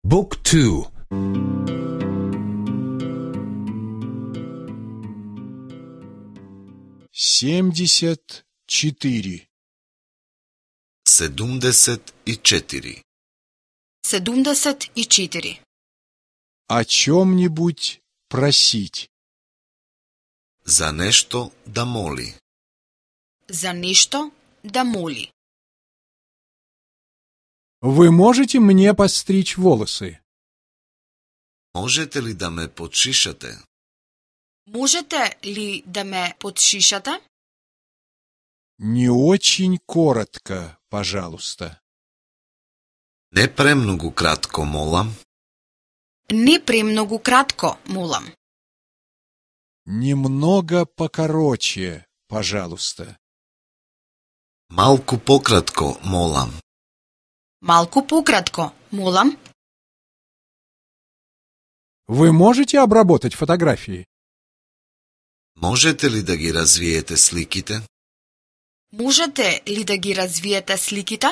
Book 2. 74. 74. 74. О чем-нибудь просить. За нешто да моли. За нешто да моли. Вы можете мне подстричь волосы? Можете ли да ме подшишате? Можете ли да ме подшишате? Не очень коротко, пожалуйста. Не премногу кратко, молам. Не премногу кратко, молам. Немного покороче, пожалуйста. Малку пократко, молам. Малку пократко, молам. Вы можете обработать фотографии? Можете ли да ги развиете сликите? Можете ли да ги развиете сликите?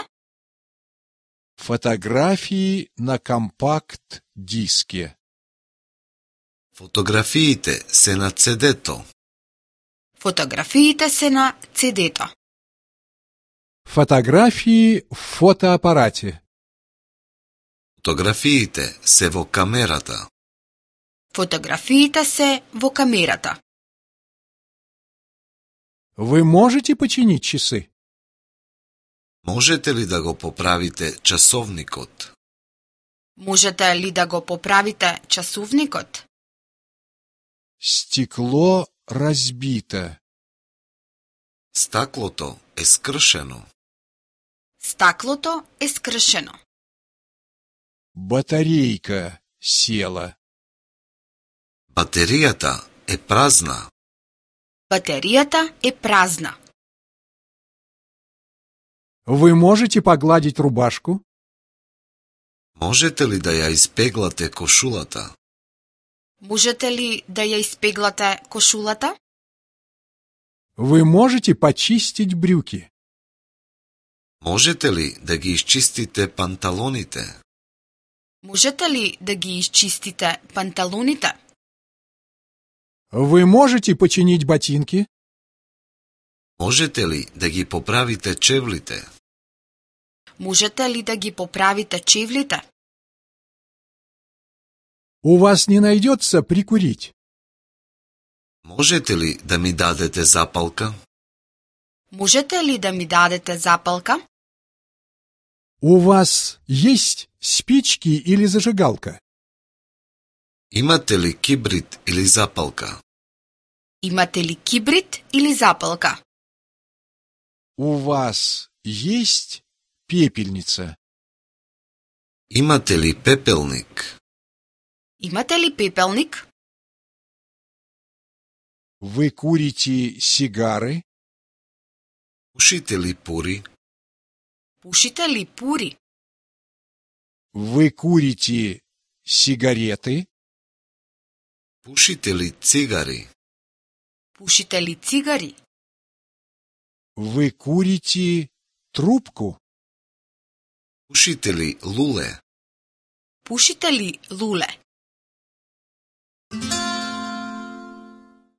Фотографии на компакт-диске. Фотографиите се на CD-то. Фотографиите се на CD-то. Фотографии в фотоаппарате. Фотографиите се во камерата. Фотографиите се во камерата. Вы можете починить часы? Можете ли да го поправите часовникот? Можете ли да го поправите часовникот? Стекло разбито. Стаклото е скршено. Стаклото е скршено. Батарейка села. Батеријата е празна. Батеријата е празна. Вы можете погладить рубашку? Можете ли да ја испеглате кошулата? Можете ли да ја испеглате кошулата? Вы можете почистить брюки? Можете ли да ги исчистите панталоните? Можете ли да ги изчистите панталоните? Вы можете починить ботинки? Можете ли да ги поправите чевлите? Можете ли да ги поправите чевлите? У вас не найдется прикурить? Можете ли да ми дадете запалка? Можете ли да ми дадете запалка? У вас есть спички или зажигалка? Имате ли кибрид или запалка? Имате ли кибрид или запалка? У вас есть пепельница? Имате ли пепелник? Имате ли пепелник? Вы курите сигары? Пушите ли пури? Пушите ли пури? Вы курите сигареты? Пушите ли цигари? Пушите ли цигари? Вы курите трубку? Пушите ли луле? Пушите ли луле?